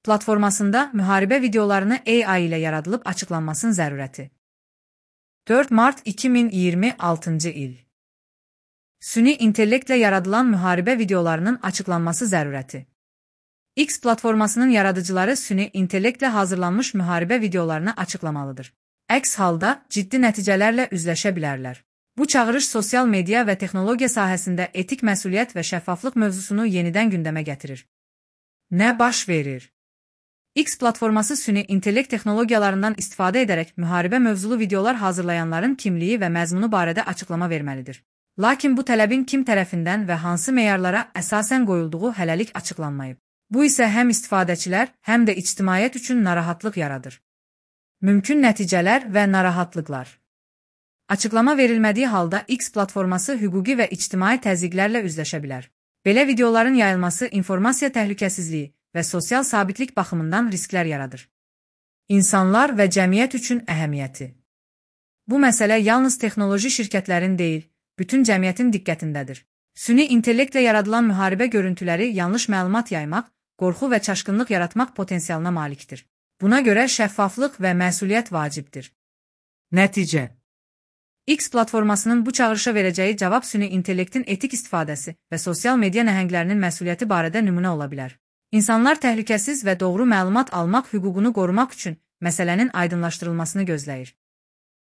platformasında müharibə videolarını AI ilə yaradılıb açıqlanmasının zərurəti. 4 Mart 2026 il. Süni intellektlə yaradılan müharibə videolarının açıqlanması zərurəti. X platformasının yaradıcıları süni intellektlə hazırlanmış müharibə videolarını açıqlamalıdır. Əks halda ciddi nəticələrlə üzləşə bilərlər. Bu çağırış sosial media və texnologiya sahəsində etik məsuliyyət və şəffaflıq mövzusunu yenidən gündəmə gətirir. Nə baş verir? X platforması süni intellekt texnologiyalarından istifadə edərək müharibə mövzulu videolar hazırlayanların kimliyi və məzmunu barədə açıqlama verməlidir. Lakin bu tələbin kim tərəfindən və hansı meyarlara əsasən qoyulduğu hələlik açıqlanmayıb. Bu isə həm istifadəçilər, həm də ictimaiyyət üçün narahatlıq yaradır. Mümkün nəticələr və narahatlıqlar. Açıqlama verilmədiyi halda X platforması hüquqi və ictimai təzyiqlərlə üzləşə bilər. Belə videoların yayılması informasiya təhlükəsizliyi və sosial sabitlik baxımından risklər yaradır. İnsanlar və cəmiyyət üçün əhəmiyyəti. Bu məsələ yalnız texnoloji şirkətlərin deyil, bütün cəmiyyətin diqqətindədir. Süni intellektlə yaradılan müharibə görüntüləri yanlış məlumat yaymaq, qorxu və çaşqınlıq yaratmaq potensialına malikdir. Buna görə şəffaflıq və məsuliyyət vacibdir. Nəticə. X platformasının bu çağırışa verəcəyi cavab süni intellektin etik istifadəsi və sosial media nəhənglərinin məsuliyyəti barədə nümunə ola bilər. İnsanlar təhlükəsiz və doğru məlumat almaq hüququnu qorumaq üçün məsələnin aydınlaşdırılmasını gözləyir.